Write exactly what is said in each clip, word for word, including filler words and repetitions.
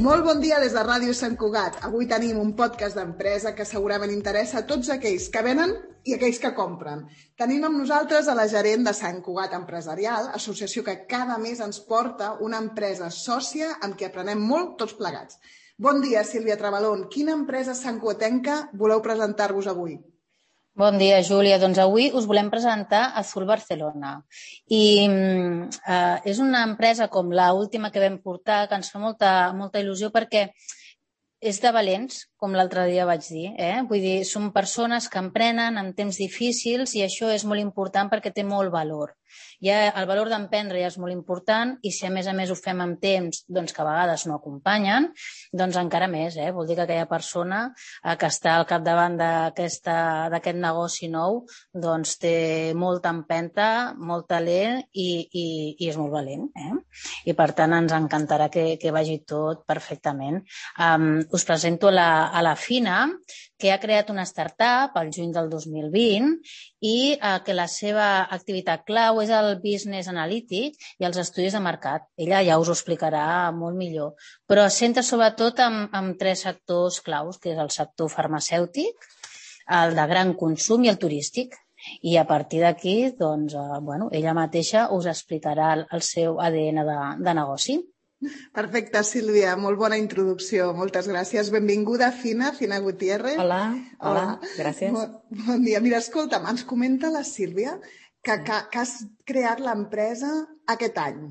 Molt bon dia des de Ràdio Sant Cugat. Avui tenim un podcast d'empresa que segurament interessa a tots aquells que venen i aquells que compren. Tenim amb nosaltres a la gerent de Sant Cugat Empresarial, associació que cada mes ens porta una empresa sòcia amb qui aprenem molt tots plegats. Bon dia, Sílvia Trabalón. Quina empresa santcugatenca voleu presentar-vos avui? Bon dia, Júlia. Doncs avui us volem presentar Azul Barcelona. I eh, és una empresa com l'última que vam portar que ens fa molta, molta il·lusió perquè és de valents, com l'altre dia vaig dir. Eh? Vull dir, són persones que emprenen en temps difícils i això és molt important perquè té molt valor. Ja, el valor d'emprendre ja és molt important i si a més a més ho fem amb temps doncs que a vegades no acompanyen, doncs encara més. Eh? Vol dir que aquella persona eh, que està al capdavant d'aquest negoci nou doncs té molta empenta, molt talent i, i, i és molt valent. Eh? I per tant ens encantarà que, que vagi tot perfectament. Um, us presento la, a la Fina, que ha creat una startup al juny del dos mil vint i eh, que la seva activitat clau és el business analític i els estudis de mercat. Ella ja us ho explicarà molt millor, però es centra sobretot en, en tres sectors claus, que és el sector farmacèutic, el de gran consum i el turístic. I a partir d'aquí, doncs, eh, bueno, ella mateixa us explicarà el, el seu A D N de, de negoci. Perfecte, Sílvia, molt bona introducció, moltes gràcies. Benvinguda, Fina, Fina Gutiérrez. Hola, hola, hola. Gràcies. Bon, bon dia. Mira, escolta'm, ens comenta la Sílvia que, que, que has creat l'empresa aquest any.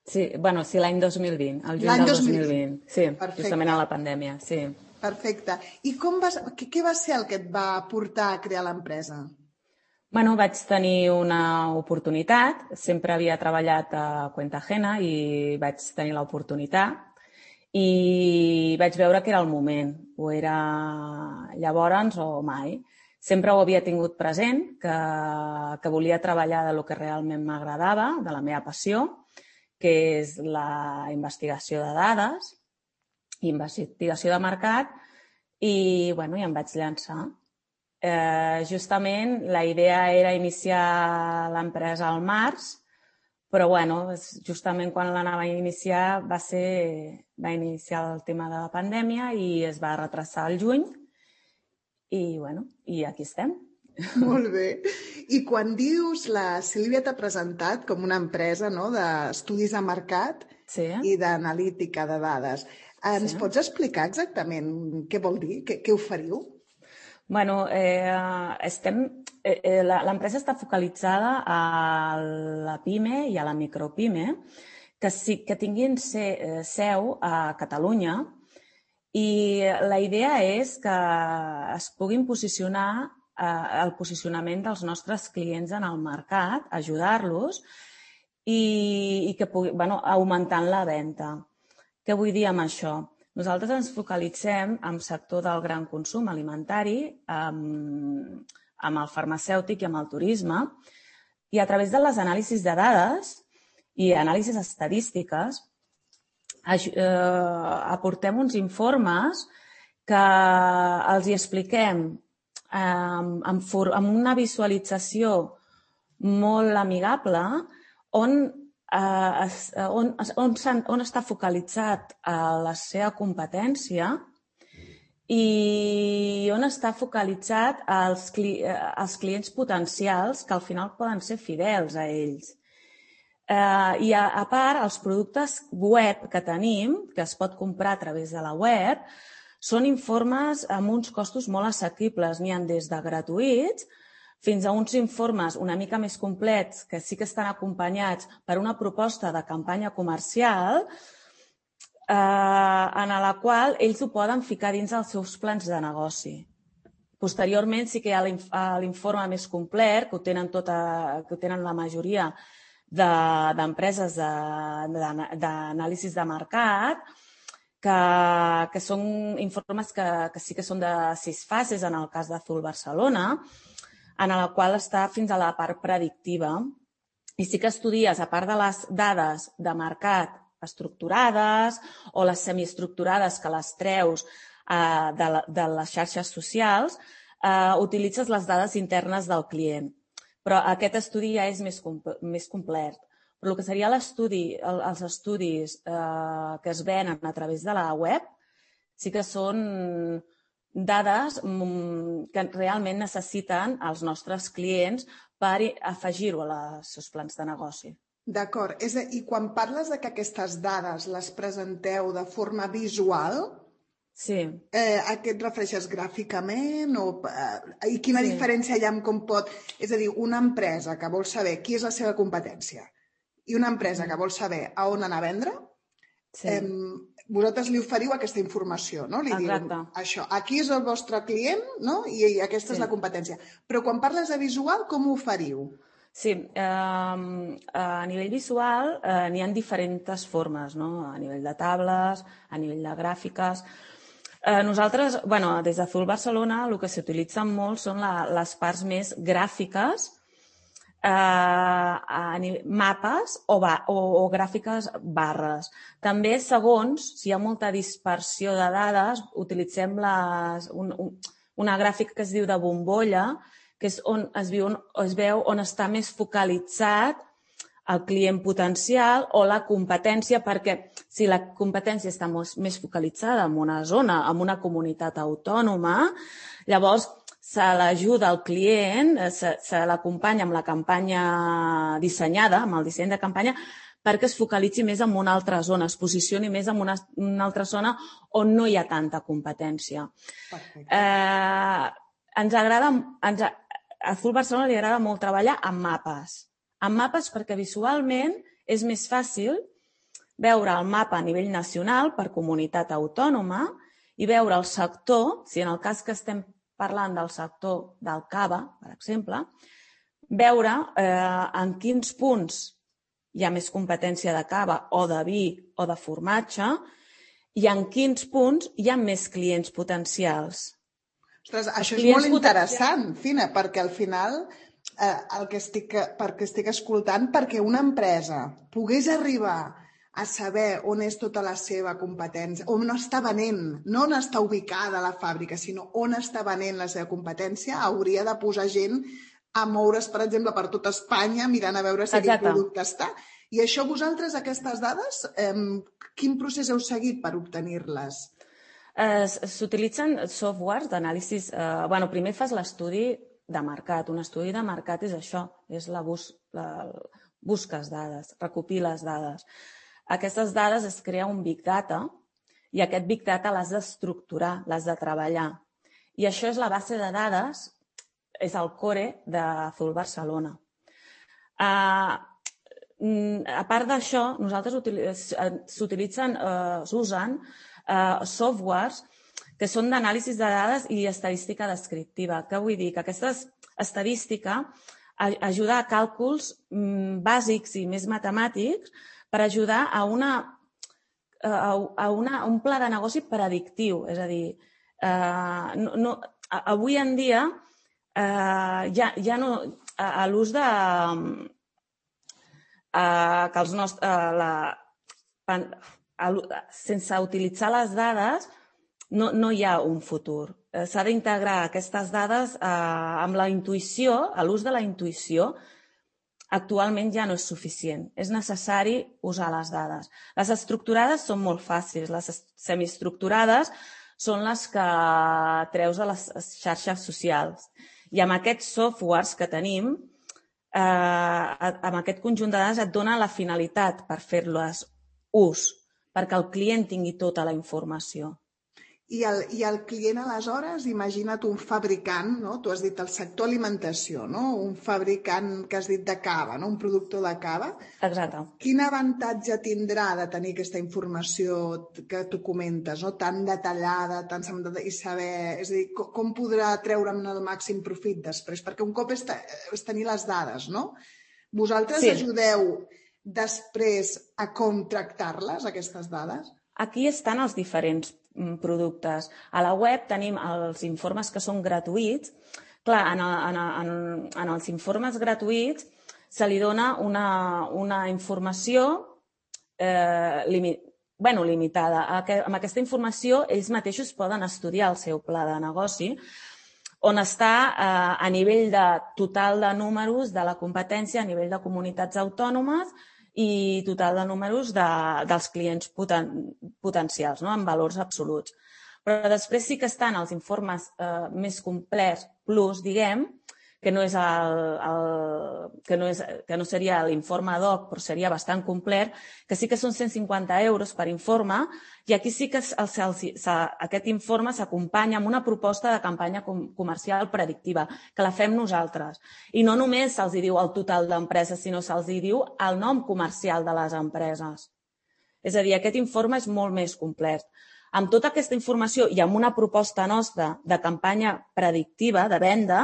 Sí, bueno, sí, l'any dos mil vint, el juny del dos mil vint. Sí, perfecte. Justament a la pandèmia, sí. Perfecte. I com vas, què, què va ser el que et va portar a crear l'empresa? Bueno, vaig tenir una oportunitat, sempre havia treballat a cuenta ajena i vaig tenir l'oportunitat i vaig veure que era el moment, o era llavors o mai. Sempre ho havia tingut present, que, que volia treballar de lo que realment m'agradava, de la meva passió, que és la investigació de dades, investigació de mercat, i, bueno, i em vaig llançar. Eh, justament la idea era iniciar l'empresa al març, però bueno, justament quan l'anava a iniciar va ser, va iniciar el tema de la pandèmia i es va retrasar al juny i bueno, i aquí estem. Molt bé. I quan dius, la Sílvia t'ha presentat com una empresa, no?, d'estudis de mercat, sí, i d'analítica de dades. Ens sí. Pots explicar exactament què vol dir? Què, què oferiu? Bueno, eh, estem, eh, l'empresa està focalitzada a la PIME i a la micropime, que, sí, que tinguin seu a Catalunya i la idea és que es puguin posicionar eh, el posicionament dels nostres clients en el mercat, ajudar-los i, i que pugui, bueno, augmentant la venda. Què vull dir amb això? Nosaltres ens focalitzem en el sector del gran consum alimentari, amb, amb el farmacèutic i amb el turisme, i a través de les anàlisis de dades i anàlisis estadístiques eh, aportem uns informes que els hi expliquem eh, amb, amb una visualització molt amigable on Uh, on, on, on està focalitzat uh, la seva competència i on està focalitzat els, cli els clients potencials que al final poden ser fidels a ells. Uh, I a, a part, els productes web que tenim, que es pot comprar a través de la web, són informes amb uns costos molt assequibles. N'hi ha des de gratuïts fins a uns informes una mica més complets que sí que estan acompanyats per una proposta de campanya comercial eh, en la qual ells ho poden ficar dins dels seus plans de negoci. Posteriorment sí que hi ha l'informe més complet, que ho tenen, tota, que ho tenen la majoria d'empreses de, d'anàlisis de, de mercat, que, que són informes que, que sí que són de sis fases en el cas d'Azul Barcelona, en la qual està fins a la part predictiva. I sí que estudies, a part de les dades de mercat estructurades o les semiestructurades que les treus eh, de, la, de les xarxes socials, eh, utilitzes les dades internes del client. Però aquest estudi ja és més, més complet. però el que seria l'estudi, els estudis eh, que es venen a través de la web sí que són dades que realment necessiten els nostres clients per afegir-ho als seus plans de negoci. D'acord. I quan parles de que aquestes dades les presenteu de forma visual, sí. eh, a què et refereixes? Gràficament? O, eh, I quina sí. diferència hi ha amb com pot... És a dir, una empresa que vol saber qui és la seva competència i una empresa mm. que vol saber a on anar a vendre, sí. eh, vosaltres li oferiu aquesta informació, no? Li Exacte. diu això, aquí és el vostre client, no? I, i aquesta sí. és la competència. Però quan parles de visual, com ho oferiu? Sí, eh, a nivell visual eh, n'hi ha diferents formes, no? A nivell de tables, a nivell de gràfiques. Eh, nosaltres, bueno, des d'Azul Barcelona, el que s'utilitzen molt són la, les parts més gràfiques, eh, a nivell, mapes o, ba, o, o gràfiques barres. També, segons, si hi ha molta dispersió de dades, utilitzem les, un, un, una gràfica que es diu de bombolla, que és on es, viu, es veu on està més focalitzat el client potencial o la competència, perquè si la competència està més focalitzada en una zona, en una comunitat autònoma, llavors se l'ajuda al client, se, se l'acompanya amb la campanya dissenyada, amb el disseny de campanya, perquè es focalitzi més en una altra zona, es posicioni més en una, una altra zona on no hi ha tanta competència. Perfecte. Eh, ens agrada... Ens, a Azul Barcelona li agrada molt treballar amb mapes. Amb mapes perquè visualment és més fàcil veure el mapa a nivell nacional per comunitat autònoma i veure el sector, si en el cas que estem parlant del sector del cava, per exemple, veure eh, en quins punts hi ha més competència de cava o de vi o de formatge i en quins punts hi ha més clients potencials. Ostres, això és molt interessant, Fina, perquè al final eh, el que estic, perquè estic escoltant, perquè una empresa pogués arribar a saber on és tota la seva competència, on està venent, no on està ubicada la fàbrica, sinó on està venent la seva competència, hauria de posar gent a moure's, per exemple, per tota Espanya, mirant a veure si quin producte està. I això vosaltres, aquestes dades, eh, quin procés heu seguit per obtenir-les? Eh, S'utilitzen softwares d'anàlisi... Eh, bueno, primer fas l'estudi de mercat. Un estudi de mercat és això, és la, bus, la busques dades, recopiles dades. Aquestes dades es crea un Big Data i aquest Big Data l'has d'estructurar, l'has de treballar. I això és la base de dades, és el core d'Azul Barcelona. Eh, a part d'això, nosaltres s'utilitzen, eh, s'usen Uh, softwares que són d'anàlisi de dades i estadística descriptiva. Què vull dir? Que aquesta estadística ajuda a càlculs mm, bàsics i més matemàtics per ajudar a, una, a, a, una, a un pla de negoci predictiu. És a dir, uh, no, no, avui en dia uh, ja, ja no... A, a l'ús de... Uh, que els nostres... Uh, la, sense utilitzar les dades no, no hi ha un futur. S'ha d'integrar aquestes dades eh, amb la intuïció, l'ús de la intuïció actualment ja no és suficient. És necessari usar les dades. Les estructurades són molt fàcils, les semiestructurades són les que treus de les xarxes socials. I amb aquests softwares que tenim, eh, amb aquest conjunt de dades et dona la finalitat per fer-les ús, perquè el client tingui tota la informació. I el, i el client, aleshores, imagina't un fabricant, no? Tu has dit el sector alimentació, no? Un fabricant que has dit de cava, no? Un productor de cava. Exacte. Quin avantatge tindrà de tenir aquesta informació que tu comentes, no? Tan detallada, tan i saber... És a dir, com podrà treure'n el màxim profit després? Perquè un cop és, és tenir les dades, no? Vosaltres sí. Ajudeu després a com tractar-les, aquestes dades? Aquí estan els diferents productes. A la web tenim els informes que són gratuïts. Clar, en, en, en, en els informes gratuïts se li dona una, una informació eh, limi, bueno, limitada. Amb aquesta informació ells mateixos poden estudiar el seu pla de negoci, on està eh, a nivell de total de números de la competència, a nivell de comunitats autònomes i total de números de, dels clients poten, potencials, no? En valors absoluts. Però després sí que estan els informes eh, més complets, plus, diguem, que no, és el, el, que, no és, que no seria l'informe ad hoc, però seria bastant complet, que sí que són cent cinquanta euros per informe, i aquí sí que el, el, aquest informe s'acompanya amb una proposta de campanya com, comercial predictiva, que la fem nosaltres. I no només se'ls diu el total d'empreses, sinó se'ls diu el nom comercial de les empreses. És a dir, aquest informe és molt més complet. Amb tota aquesta informació i amb una proposta nostra de campanya predictiva, de venda,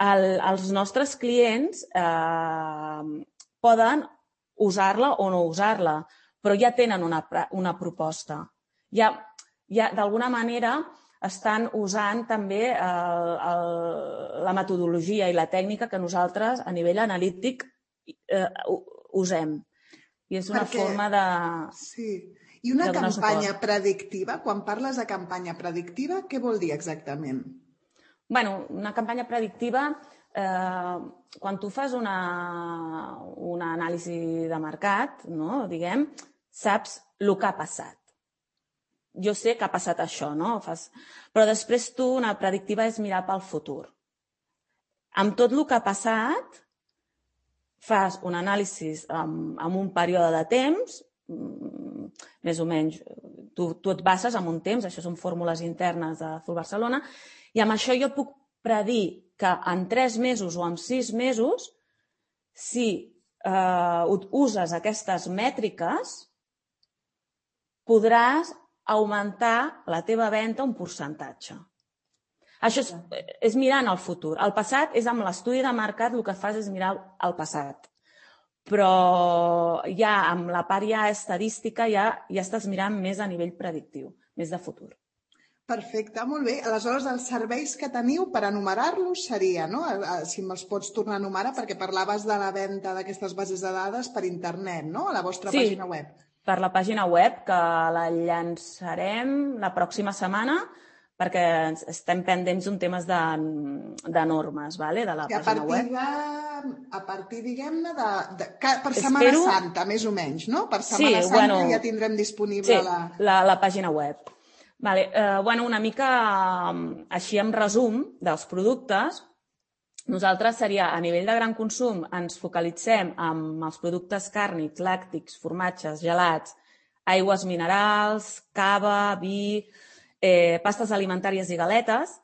el, els nostres clients eh, poden usar-la o no usar-la, però ja tenen una, una proposta. Ja, ja d'alguna manera estan usant també el, el, la metodologia i la tècnica que nosaltres a nivell analític eh, usem. I és una Perquè, forma de... Sí. I una campanya suport. predictiva, quan parles de campanya predictiva, què vol dir exactament? Bueno, una campanya predictiva, eh, quan tu fas una, una anàlisi de mercat, no? Diguem, saps el que ha passat. Jo sé que ha passat això, no? Fas... Però després tu, una predictiva és mirar pel futur. Amb tot el que ha passat, fas un anàlisi amb, amb un període de temps, més o menys, tu, tu et bases en un temps, això són fórmules internes de Azul Barcelona, i amb això jo puc predir que en tres mesos o en sis mesos, si eh, uses aquestes mètriques, podràs augmentar la teva venda un percentatge. Això és, és mirant el futur. El passat és amb l'estudi de mercat, el que fas és mirar el passat. Però ja amb la part ja estadística ja, ja estàs mirant més a nivell predictiu, més de futur. Perfecte, molt bé. Aleshores, els serveis que teniu per enumerar-los seria, no? Si me'ls pots tornar a enumerar, perquè parlaves de la venda d'aquestes bases de dades per internet, no? A la vostra sí, pàgina web. Per la pàgina web, que la llançarem la pròxima setmana, perquè estem pendents d'un temes de, de normes, vale? De la I a pàgina web. De, a partir, diguem-ne, de, de, per Setmana Espero... Santa, més o menys, no? Per Setmana sí, Santa bueno, ja tindrem disponible sí, la... la, la pàgina web. Vale, eh, bueno, una mica així en resum dels productes, nosaltres seria, a nivell de gran consum, ens focalitzem en els productes càrnics, làctics, formatges, gelats, aigües minerals, cava, vi, eh, pastes alimentàries i galetes.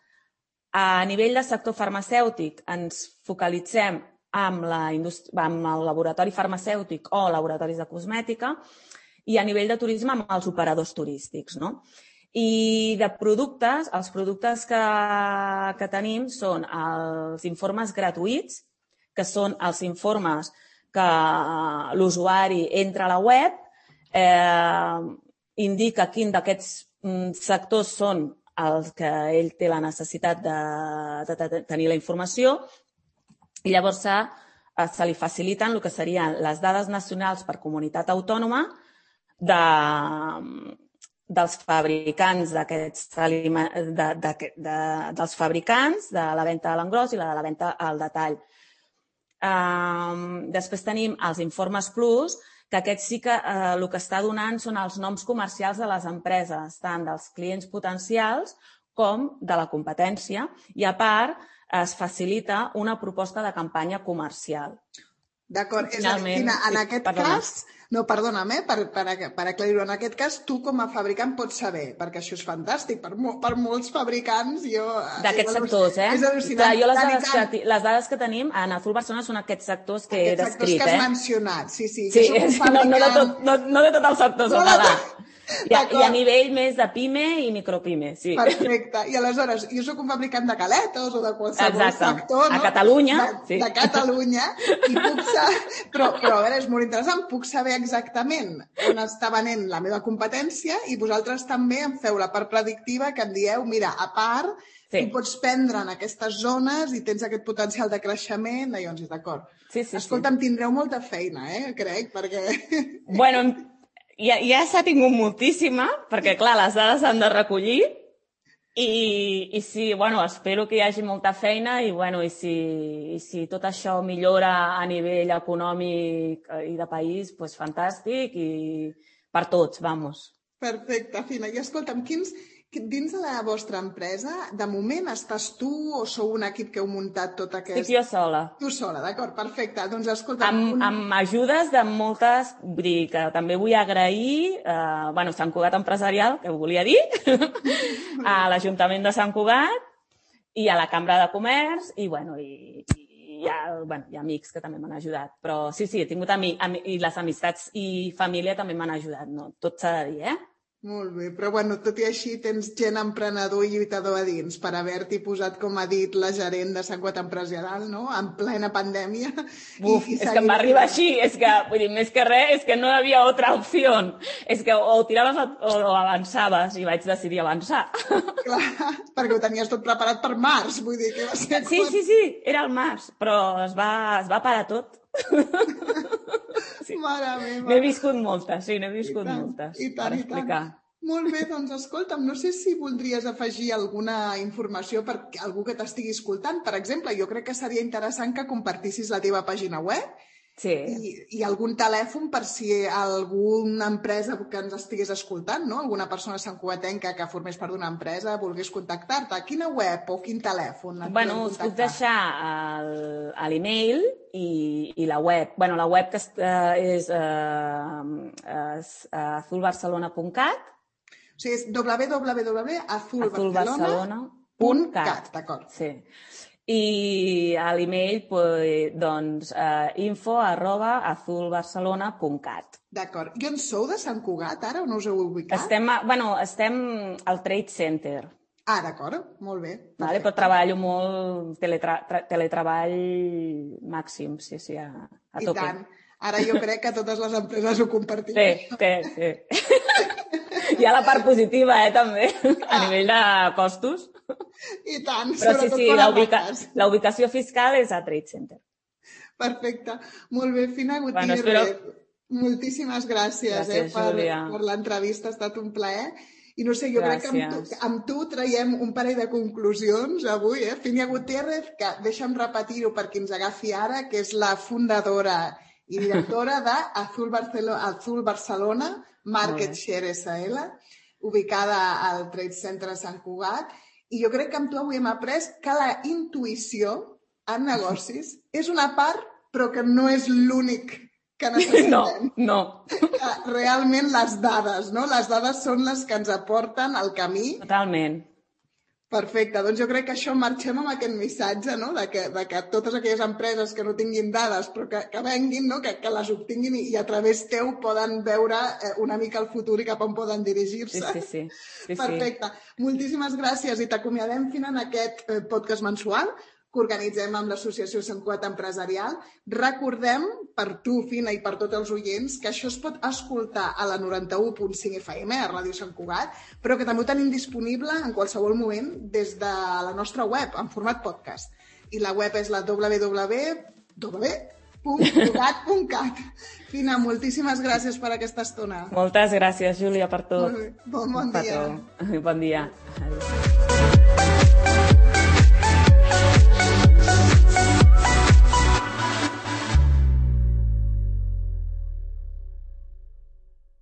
A nivell de sector farmacèutic ens focalitzem amb, la indústria, amb el laboratori farmacèutic o laboratoris de cosmètica i a nivell de turisme amb els operadors turístics, no? I de productes, els productes que, que tenim són els informes gratuïts, que són els informes que l'usuari entra a la web, eh, indica quin d'aquests sectors són els que ell té la necessitat de, de, de tenir la informació, i llavors se, se li faciliten el que serien les dades nacionals per comunitat autònoma de... dels fabricants d'aquests aliments, de, de, de, dels fabricants de la venda a l'engròs i la de la venda al detall. Um, després tenim els informes plus, que aquests sí que eh, el que està donant són els noms comercials de les empreses, tant dels clients potencials com de la competència, i a part es facilita una proposta de campanya comercial. D'acord, és a dir, Tina, en aquest cas, no, perdona'm, eh, per, per, per aclarir-ho, en aquest cas tu com a fabricant pots saber, perquè això és fantàstic, per, per molts fabricants, jo... D'aquests sectors, eh? És al·lucinant. Clar, jo les dades, que, les dades que tenim en Azul Barcelona són aquests sectors que he descrit, eh? Aquests sectors que has mencionat, sí, sí. Sí, no, no, de tot, no, no de tot el sector, no de tot. I a, I a nivell més de pime i micropime, sí. Perfecte. I aleshores, jo sóc un fabricant de galetes o de qualsevol Exacte. sector, no? A Catalunya, de, sí. De Catalunya, i puc saber... Però, però, a veure, és molt interessant, puc saber exactament on està venent la meva competència i vosaltres també em feu la part predictiva que em dieu, mira, a part, sí. Tu pots prendre en aquestes zones i tens aquest potencial de creixement, llavors, d'acord. Sí, sí, Escolta'm, sí. Tindreu molta feina, eh, crec, perquè... Bueno, ja, ja s'ha tingut moltíssima, perquè, clar, les dades s'han de recollir I, i sí, bueno, espero que hi hagi molta feina i, bueno, i, si, i si tot això millora a nivell econòmic i de país, doncs fantàstic i per tots, vamos. Perfecte, Fina. I escolta'm, quins, dins de la vostra empresa, de moment estàs tu o sou un equip que heu muntat tot aquest... Estic jo sola. Tu sola, d'acord, perfecte. Doncs escolta'm... Amb, un... amb ajudes de moltes... Vull dir que també vull agrair eh, bueno, Sant Cugat Empresarial, que ho volia dir, a l'Ajuntament de Sant Cugat i a la Cambra de Comerç i, bueno, i, i hi, ha, bueno, hi ha amics que també m'han ajudat. Però sí, sí, he tingut amics i les amistats i família també m'han ajudat. No? Tot s'ha de dir, eh? Molt bé, però bueno, tot i així tens gent emprenedor i lluitador a dins per haver-t'hi posat, com ha dit la gerent de Sant Cugat Empresarial, no? En plena pandèmia. Uf, i, i és que em va arribar així, és que, vull dir, més que res, és que no hi havia altra opció. És que o tiraves o, o avançaves i vaig decidir avançar. Clar, perquè ho tenies tot preparat per març, vull dir que va ser... Sí, sí, sí, era el març, però es va, es va parar tot. Sí. Mare meva. N'he viscut moltes, sí, n'he viscut I tant, moltes, i tant, per i explicar. Tant. Molt bé, doncs escolta'm, no sé si voldries afegir alguna informació per algú que t'estigui escoltant. Per exemple, jo crec que seria interessant que compartissis la teva pàgina web sí. i, i algun telèfon per si alguna empresa que ens estigués escoltant, no? Alguna persona santcugatenca que formés part d'una empresa volgués contactar-te. Quina web o quin telèfon et bueno, us puc deixar l'email i, i la web. Bueno, la web que és, és uh, azul barcelona punt cat. O sigui, és w w w punt azul barcelona punt cat, d'acord. Sí. I a l'email, pues, doncs, uh, info arroba azul barcelona punt cat. D'acord. I on sou de Sant Cugat, ara, on us heu ubicat? Estem, a, bueno, estem al Trade Center. Ah, d'acord. Molt bé. Vale, però treballo molt teletra teletreball màxim, sí, sí, a, a tope. I tant. Ara jo crec que totes les empreses ho compartim. Sí, sí, sí. Hi ha la part positiva, eh, també, a ah. nivell de costos. I tant, però sí, sobretot sí, per la, a ubica marques. la ubicació fiscal és a Trade Center. Perfecte. Molt bé, Fina Gutiérrez. Bueno, espero... Moltíssimes gràcies, gràcies eh, per, Júlia. per l'entrevista, ha estat un plaer. I no sé, jo gràcies. crec que amb tu, amb tu traiem un parell de conclusions avui, eh? Fina Gutiérrez, que deixa'm repetir-ho per qui ens agafi ara, que és la fundadora i directora de Azul Barcelona, Azul Barcelona Market Share S L, ubicada al Trade Center de Sant Cugat. I jo crec que amb tu avui hem après que la intuïció en negocis és una part, però que no és l'únic que necessitem. No, no. Realment les dades, no? Les dades són les que ens aporten el camí. Totalment. Perfecte, doncs jo crec que això marxem amb aquest missatge, no? de, que, de que totes aquelles empreses que no tinguin dades però que, que venguin, no? que, que les obtinguin i, i a través teu poden veure eh, una mica el futur i cap on poden dirigir-se. Sí, sí, sí. sí Perfecte. Sí. Moltíssimes gràcies i t'acomiadem fins en aquest eh, podcast mensual que organitzem amb l'Associació Sant Cugat Empresarial. Recordem, per tu, Fina, i per tots els oients, que això es pot escoltar a la noranta-u punt cinc F M, a Ràdio Sant Cugat, però que també ho tenim disponible en qualsevol moment des de la nostra web, en format podcast. I la web és la w w w punt cugat punt cat. Fina, moltíssimes gràcies per aquesta estona. Moltes gràcies, Júlia, per tot. Bon, bon dia. Bon dia. Adéu.